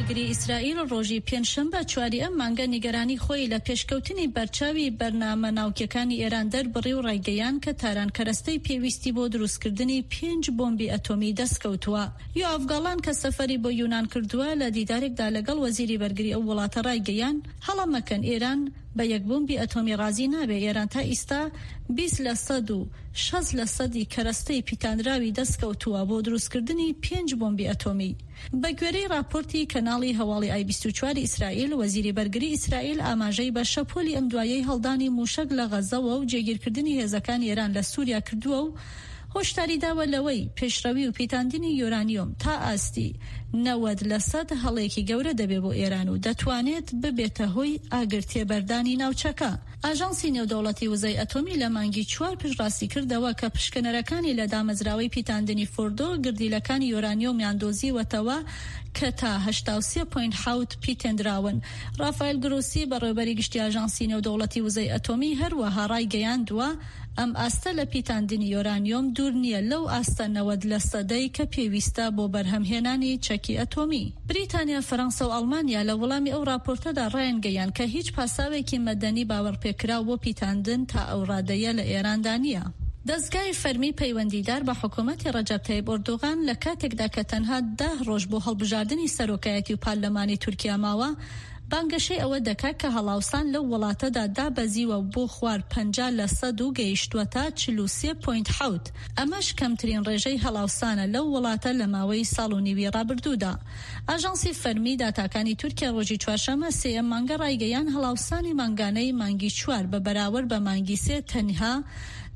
بەرگری ئیسرائیل ڕۆژی پێنجشەمبە چواری ئەم مانگە نیگەرانی خۆی لە پێشکەوتنی بەرچاوی بەرنامە ناوکیەکانی ئێران دەربڕی و ڕایگەیاند کە تاران کەرەستەی پێویستی بۆ دروستکردنی پێنج بۆمبی ئەتۆمی دەستکەوتووە. یۆئاڤ گاڵان کە سەفەری بۆ یونان کردووە لە دیدارێکدا لەگەڵ وەزیری بەرگری ئەو وڵاتە ڕایگەیاند، هەڵە مەکەن ئێران بە یەک بۆمبی ئەتۆمی ڕازی نابێ، ئێران تا ئیستا 20 لە سەد و 60 لە سەدی کەرەستەی پیتاندراوی دەستکەوتووە بۆ دروستکردنی پێنج بۆمبی ئەتۆمی. بە گوێرەی ڕاپۆرتی کەناڵی هەواڵی ئای 24 ئیسرائیل، وەزیری بەرگری ئیسرائیل ئاماژەی بە شەپۆلی ئەم دوایەی هەڵدانی مووشەک لە غەزەوە و جێگیرکردنی هێزەکانی ئێران لە سووریا کردووە و هۆشداری داوە لەوەی پێشڕەوی و پیتاندنی یۆرانیۆم تا ئاستی 90 لەسەد هەڵەیەکی گەورە دەبێ بۆ ئێران و دەتوانێت ببێتە هۆی ئاگر تێبەردانی ناوچەکە. ئاژانسی نێودەوڵەتی وزەی ئەتۆمی لە مانگی چوار پشتڕاستی کردەوە کە پشکنەرەکانی لە دامەزراوەی پیتاندنی فۆردۆ گردیلەکانی یۆرانیۆمیان دۆزیوەتەوە کە تا 83 point حەوت پیتێندراون. ڕافایل گرۆسی بەڕێوەبەری گشتی ئاژانسی نێودەوڵەتی وزەی ئەتۆمی هەروەها ڕایگەیاندووە، ئەم ئاستە لە پیتاندنی یۆرانیۆم دوور نییە لەو ئاستە 90 لەسەدەی کە پێویستە بۆ بەرهەمهێنانی چەکی ئەتۆمی. بریتانیا، فەرەنسا و ئەڵمانیا لە وەڵامی ئەو ڕاپۆرتەدا ڕایانگەیاند کە هیچ پاساوێکی مەدەنی باوەڕپێکراو بۆ پیتاندن تا ئەو ڕادەیە لە ئێراندا نییە. دەزگای فەرمی پەیوەندیدار بە حکومەتی ڕەجەب تەیب ئۆردوغان لە کاتێکدا کە تەنها دە ڕۆژ بۆ هەڵبژاردنی سەرۆکایەتی و پارلەمانی تورکیا ماوە، بانگەشەی ئەوە دەکا کە هەڵاوسان لەو وڵاتەدا دابەزیوە بۆ خوار 50 لە سەد و گەیشتووەتە 43 point حەوت، ئەمەش کەمترین ڕێژەی هەڵاوسانە لەو وڵاتە لە ماوەی ساڵ و نیوی ڕابردوودا. ئاژانسی فەرمی داتاکانی تورکیا ڕۆژی چوارشەممە سێ ئەم مانگە ڕایگەیاند هەڵاوسانی مانگانەی مانگی چوار بە بەراورد بە مانگی سێ تەنها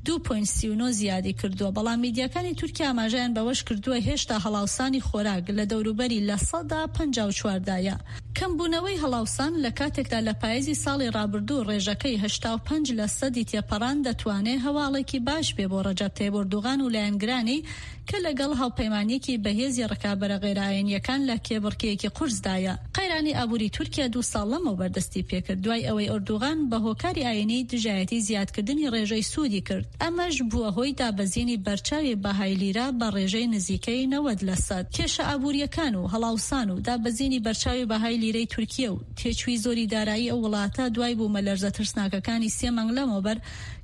دوو point 39 زیادی کردووە، بەڵام میدیاکانی تورکیا ئاماژەیان بەوەش کردووە هێشتا هەڵاوسانی خۆراک لە دەوروبەری 54% دایە. کەمبوونەوەی هەڵاوسان لە کاتێکدا لە پایزی ساڵی ڕابردوو ڕێژەکەی 85 لە سەدی تێپەڕاند دەتوانێ هەواڵێکی باش بێ بۆ ڕەجەب تەیب ئۆردوغان و لایەنگرانی کە لەگەڵ هاوپەیمانییەکی بەهێزی ڕکابەرە غەیرەئاینییەکان لە کێبڕکێیەکی قورسدایە. قەیرانی ئابووری تورکیا دوو ساڵ لەمەوبەر دەستیپێکرد دوای ئەوەی ئۆردوغان بە هۆکاری ئاینی دژایەتی زیادکردنی ڕێژەی سوودی کرد، ئەمەش بووە هۆی دابەزینی بەرچاوی بەهای لیرە بە ڕێژەی نزیکەی 90 لەسەد. کێشە ئابوورییەکان و هەڵاوسان و دابەزینی بەرچاوی بەهای لیرەی تورکیە و تێچووی زۆری دارایی ئەو وڵاتە دوای بوومەلەرزە ترسناکەکانی سێ مانگ لەمەوبەر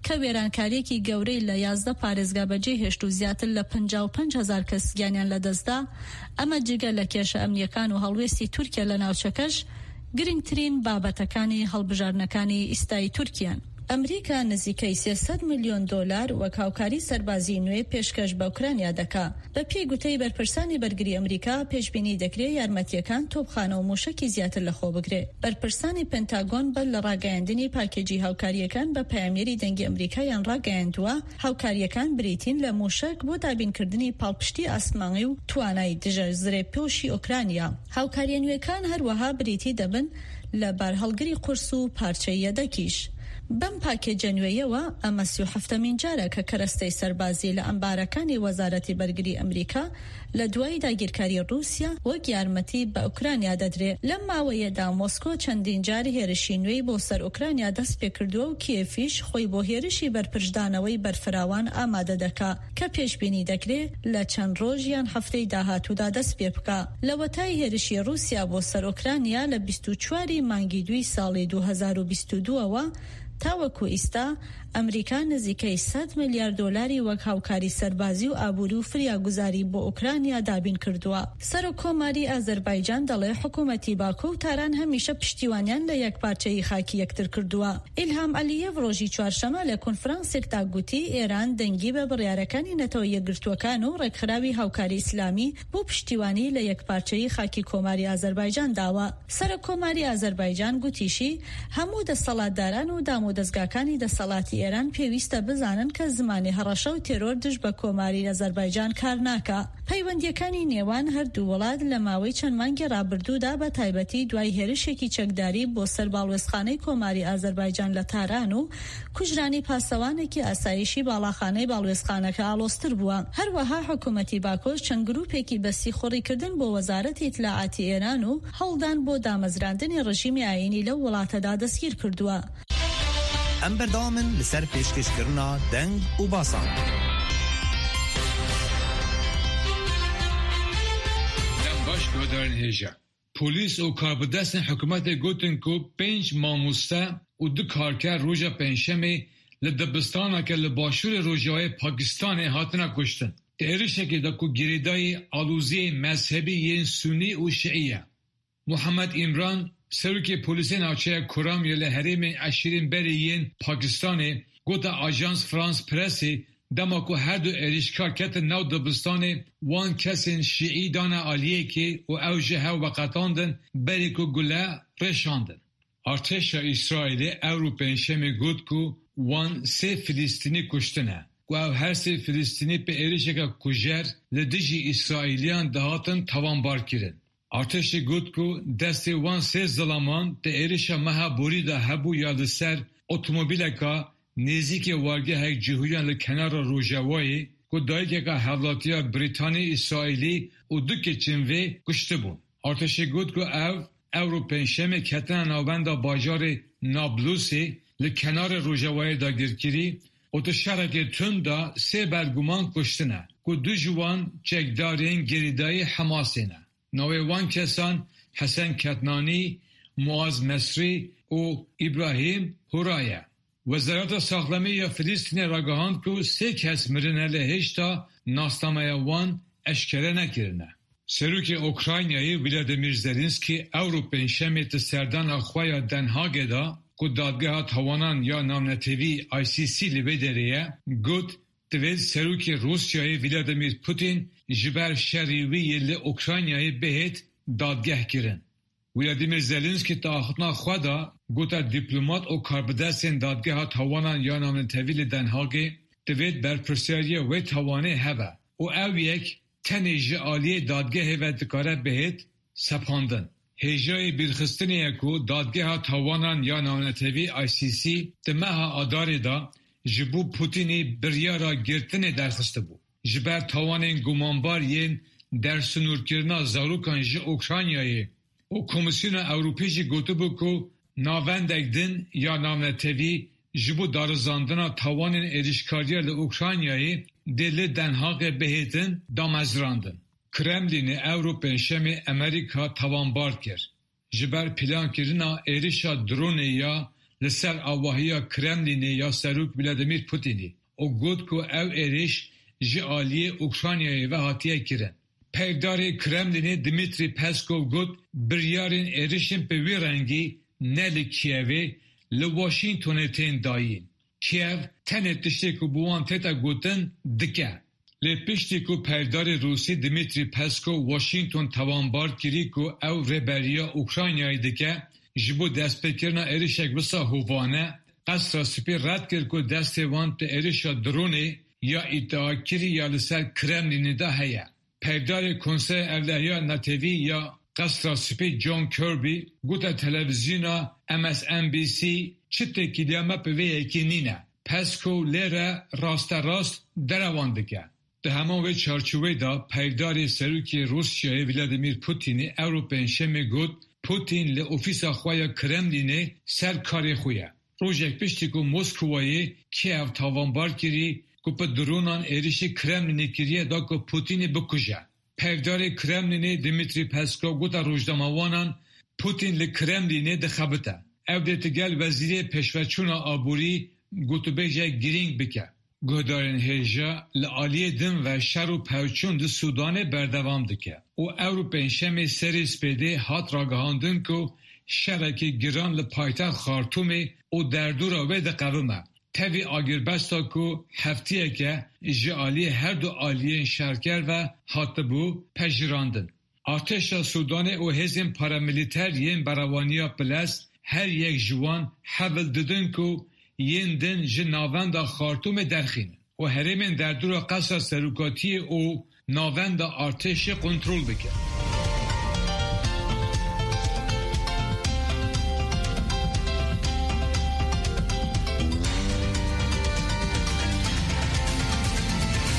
کە وێرانکارییەکی گەورەی لە 11 پارێزگا بەجێهێشت و زیاتر لە 55 هەزار کەس گیانیان لەدەستدا، ئەمە جگە لە کێشە ئەمنییەکان و هەڵوێستی تورکیا لە ناوچەکەش، گرنگترین بابەتەکانی هەڵبژاردنەکانی ئیستای تورکیان. ئەمریکا نزیکەی 300 ملیۆن دۆلار وەک هاوکاری سەربازی نوێ پێشکەش بە ئۆکرانیا دەکا. بە پێی گوتەی بەرپرسانی بەرگری ئەمریکا، پێشبینی دەکرێ یارمەتییەکان تۆپخانە و مووشەکی زیاتر لەخۆ بگرێ. بەرپرسانی پنتاگۆن بەر لە ڕاگەیاندنی پاکێجی هاوکارییەکان بە پەیامنێری دەنگی ئەمریکایان ڕاگەیاندووە، هاوکارییەکان بریتین لە مووشەک بۆ دابینکردنی پاڵپشتی ئاسمانی و توانای دژە زرێپۆشی ئۆکرانیا. هاوکارییە نوێکان هەروەها بریتی دەبن لە بارهەڵگری قورس و پارچەی یەدەکیش. بەم پاکێجە نوێیەوە ئەمە 37مین جارە کە کەرەستەی سەربازی لە ئەمبارەکانی وەزارەتی بەرگری ئەمریکا لە دوای داگیرکاری ڕووسیا وەک یارمەتی بە ئۆکرانیا دەدرێ. لەم ماوەیەدا مۆسکۆ چەندین جار هێرشی نوێی بۆ سەر ئۆکرانیا دەست پێکردووە و کیێفیش خۆی بۆ هێرشی بەرپرچدانەوەی بەرفراوان ئامادە دەکا کە پێشبینی دەکرێ لە چەند ڕۆژ یان هەفتەی داهاتوودا دەست پێبکا. لەوەتای هێرشی ڕووسیا بۆ سەر ئۆکرانیا لە 24 ی مانگی دووی ساڵی 2022 ەوە تاوەکو ئیستا، ئەمریکا نزیکەی سەد ملیار دۆلاری وەک هاوکاری سەربازی و ئابووری و فریاگوزاری بۆ ئۆکرانیا دابین کردووە. سەرۆک کۆماری ئازەربایجان دەڵێ حکوومەتی باکۆ و تاران هەمیشە پشتیوانیان لە یەکپارچەیی خاکی یەکتر کردووە. ئیلهام عەلیێڤ ڕۆژی چوارشەمە لە کۆنفرانسێکدا گوتی ئێران دەنگی بە بڕیارەکانی نەتەوە یەکگرتووەکان و ڕێکخراوی هاوکاری ئیسلامی بۆ پشتیوانی لە یەکپارچەیی خاکی کۆماری ئازەربایجان داوە. سەرۆک کۆماری ئازەربایجان گوتیشی، هەموو دەسەڵاتداران و دامودەزگاکانی دەسەڵاتی ئێران پێویستە بزانن کە زمانی هەڕەشە و تێرۆر دژ بە کۆماری ئازەربایجان کار ناکا. پەیوەندییەکانی نێوان هەر دوو وڵات لە ماوەی چەند مانگی ڕابردوودا بە تایبەتی دوای هێرشێکی چەکداری بۆ سەر باڵوێزخانەی کۆماری ئازەربایجان لە تاران و کوژرانی پاسەوانێکی ئاسایشی باڵاخانەی باڵوێزخانەکە ئاڵۆزتر بووە. هەروەها حکوومەتی باکۆش چەند گرووپێکی بە سیخوڕیکردن بۆ وەزارەتی ئیتلاعاتی ئێران و هەوڵدان بۆ دامەزراندنی ڕژیمی ئایینی لەو وڵاتەدا دەستگیر کردووە. ئەم بەردەوامن لەسەر پێشکەشکردنا دەنگ و باسان. دەم باش گۆدارن هێژا. Polîs û karbidestên hikûmetê gotin ku pênc mamoste û du karker roja Pêncşemê li dibistaneke li başûrê rojavayê Pakistanê hatine kuştin. Di êrişekê de ku girêdayî aloziyên mezhebî yên Sunî û Şiî ye. Muhammed Îmran, Serokê Polîsê Navçeya Kuram ya li herêmên eşîrên berê yên Pakistanê gote Ajans France Pressê dema ku her du êrişkar ketin nav dibistanê wan kesên Şiî dane aliyekê û ew ji hev veqetandin berê ku gule reşandin. Artêşa Îsraîlê ewro Pêncşemê got ku wan sê Filistînî kuştine ku ew her sê Filistînî bi êrişeke kujer li dijî Îsraîliyan dihatin tawanbarkirin. Artêşê got ku destê wan sê zilaman di êrişa meha borî de hebû ya li ser otomobîleka nêzîkê wargehek cihûyan li kenara Rojavayê ku dayikeka hevlatiya Brîtanî Îsraîlî û du keçên vê kuştibûn. Artêşê got ku ew ewro Pêncşemê ketine navenda bajarê Nablusê li kenarê Rojavayê dagirkirî û di şerekê tund de sê berguman kuştine ku du ji wan çekdarên girêdayî Hemasê ne. Navê wan kesan Hesen Ketnanî, Muaz Mesrî û Îbrahîm Hura ye. Wezareta Saxlemê ya Filistînê ragihand ku sê kes mirine lê hêjta nasnameya wan eşkere nekirine. Serokê Ukraynayê Vladimir Zelenskiy ewro Pêncşemê di serdana xwe ya Den Haagê de ku Dadgeha Tawanan ya Navnetewî ICC li vê derê ye, got Divê Serokê Rûsyayê Vladimir Putin ji ber şerê wî yê li Ukraynayê bihêt dadgehkirin. Vladimir Zelenskiy di axiftina xwe de gote dîplomat û karbidestên Dadgeha Tawanan ya Navnetewî li Den Haagê divêt berpirsyariya wê tawanê hebe û ew yek tenê ji aliyê dadgehê ve dikare bihêt sepandin. Hêjayê bîrxistinê ye ku Dadgeha Tawanan ya Navnetewî ICC di meha Adarê de ji bo Putinî biryara girtinê derxistibû. Ji ber tawanên gumanbar yên dersinûrkirina zarokan ji Ukraynayê û Komîsyona Ewropî jî gotibû ku navendek din ya navnetewî ji bo darizandina tawanên êrişkariya li Ukraynayê dê li Den Haagê bihêtin damezrandin. Kremlînê ewro Pêncşemê Amerîka tawanbar kir ji ber plankirina êrişa dronê ya li ser avahiya Kremlînê ya Serok Vladimir Putinî û got ku ew êriş ji aliyê Ukraynayê ve hatiye kirin. Peyvdarê Kremlînê Dmitriy Peskov got biryarên êrişên bi wî rengî ne li Kîevê li Washingtonê tên dayîn. Kîev tenê tiştê ku bi wan tête gotin dike. Lê piştî ku peyvdarê Rûsî Dmitriy Peskov Washington tawanbar kirî ku ew rêberiya Ukraynayê dike ji bo destpêkirina êrişek wisa hovane, Qesra Spî red kir ku destê wan di êrişa dronê ya îdiakirî ya li ser Kremlînê de heye. Peyvdarê Konseya Ewlehiya Netewî ya Qesra Spî John Kirby gote televîzyona MSNBC çi têkiliya me bi vê yekê nîne. Peskov lê re rasterast derewan dike. Di heman wê çarçoveyê de peyvdarê Serokê Rûsyayê Vladimir Putinê ewro Pêncşemê got Putin li ofîsa xwe ya Kremlînê ser karê xwe ye. Rojek piştî ku Moskowayê Kiev tawanbar kirî ku bi dronan êrişî Kremlînê kiriye da ku Putinê bikuje. Peyvdarê Kremlînê Dmitriy Peskov gote rojnamevanan, Putin li Kremlînê dixebite. Ew dê digel Wezîrê Pêşveçûna Aborî gotûbêjek girîng bike. Guhdarên hêja li aliyê din ve şer û pevçûn di Sûdanê berdewam dike û ewro Pêncşemê serê spêdê hat ragihandin ku şerekî giran li paytext Xartûmê û derdora wê diqewime, tevî agirbesta ku heftiyeke ji aliyê her du aliyên şerker ve hatibû pejirandin. Artêşa Sûdanê û hêzên paramilîter yên berewaniya bilez her yek ji wan hevil didin ku yên din ji navenda Xartûmê derxînin û herêmên derdora qesra serokatiyê û navenda artêşê kontrol bikin.